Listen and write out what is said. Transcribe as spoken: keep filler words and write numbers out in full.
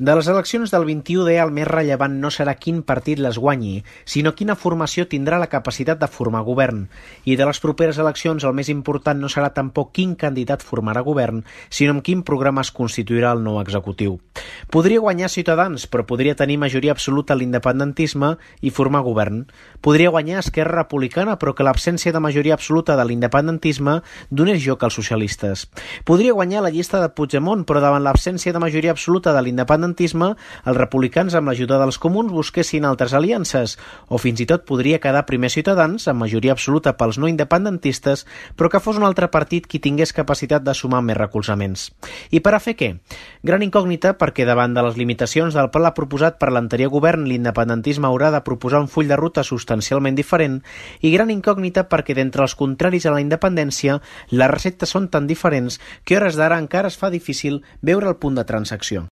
De les eleccions del vint-i-u D el més rellevant no serà quin partit les guanyi, sinó quina formació tindrà la capacitat de formar govern. I de les properes eleccions el més important no serà tampoc quin candidat formarà govern, sinó amb quin programa es constituirà el nou executiu. Podria guanyar Ciutadans, però podria tenir majoria absoluta a l'independentisme i formar govern. Podria guanyar Esquerra Republicana, però que l'absència de majoria absoluta de l'independentisme donés joc als socialistes. Podria guanyar la llista de Puigdemont, però davant l'absència de majoria absoluta de l'independentisme els republicans amb l'ajuda dels comuns busquessin altres aliances, o fins i tot podria quedar primer Ciutadans amb majoria absoluta pels no independentistes, però que fos un altre partit qui tingués capacitat de sumar més recolzaments. I per a fer què? Gran incògnita, perquè davant de les limitacions del pla proposat per l'anterior govern l'independentisme haurà de proposar un full de ruta substancialment diferent, i gran incògnita perquè d'entre els contraris a la independència les receptes són tan diferents que a hores d'ara encara es fa difícil veure el punt de transacció.